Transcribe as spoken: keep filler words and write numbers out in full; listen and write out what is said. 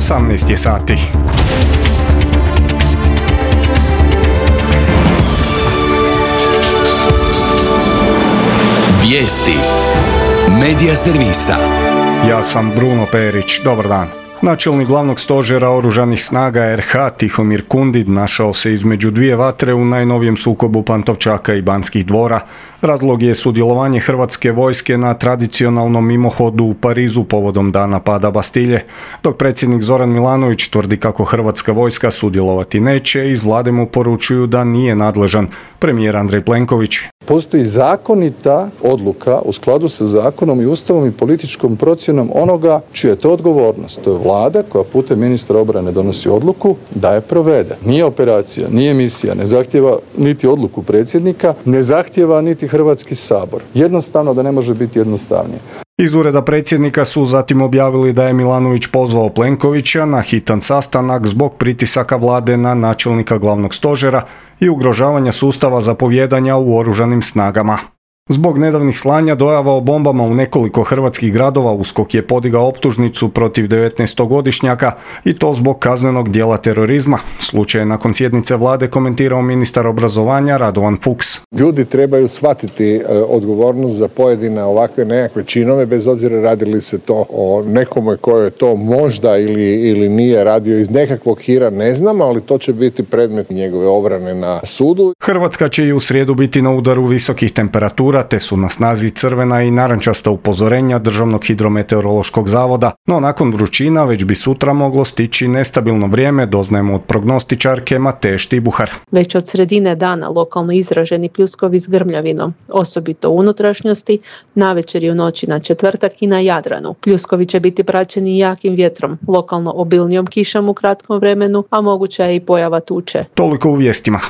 osamnaest je sati. Vijesti Medija servisa. Ja sam Bruno Perić, dobar dan. Načelnik glavnog stožera oružanih snaga er ha Tihomir Kundid našao se između dvije vatre u najnovijem sukobu Pantovčaka i Banskih dvora. Razlog je sudjelovanje hrvatske vojske na tradicionalnom mimohodu u Parizu povodom dana pada Bastilje. Dok predsjednik Zoran Milanović tvrdi kako hrvatska vojska sudjelovati neće, iz vlade mu poručuju da nije nadležan. Premijer Andrej Plenković. Postoji zakonita odluka u skladu sa zakonom i ustavom i političkom procjenom onoga čija je to odgovornost. To je vlada koja putem ministra obrane donosi odluku da je provede. Nije operacija, nije misija, ne zahtjeva niti odluku predsjednika, ne zahtjeva niti Hrvatski sabor. Jednostavno da ne može biti jednostavnije. Iz ureda predsjednika su zatim objavili da je Milanović pozvao Plenkovića na hitan sastanak zbog pritisaka vlade na načelnika glavnog stožera i ugrožavanja sustava zapovijedanja u oružanim snagama. Zbog nedavnih slanja dojava o bombama u nekoliko hrvatskih gradova USKOK je podigao optužnicu protiv devetnaestogodišnjaka i to zbog kaznenog djela terorizma. Slučaj je nakon sjednice vlade komentirao ministar obrazovanja Radovan Fuchs. Ljudi trebaju shvatiti odgovornost za pojedine ovakve nekakve činove, bez obzira radili se to o nekome koje je to možda ili, ili nije radio iz nekakvog hira, ne znam, ali to će biti predmet njegove obrane na sudu. Hrvatska će i u srijedu biti na udaru visokih temperatura, te su na snazi crvena i narančasta upozorenja Državnog hidrometeorološkog zavoda, no nakon vrućina već bi sutra moglo stići nestabilno vrijeme, doznajemo od prognostičarke Mateje Štibuhar. Već od sredine dana lokalno izraženi pljuskovi s grmljavinom, osobito u unutrašnjosti, navečer i u noći na četvrtak i na Jadranu. Pljuskovi će biti praćeni jakim vjetrom, lokalno obilnijom kišom u kratkom vremenu, a moguća je i pojava tuče. Toliko u vijestima.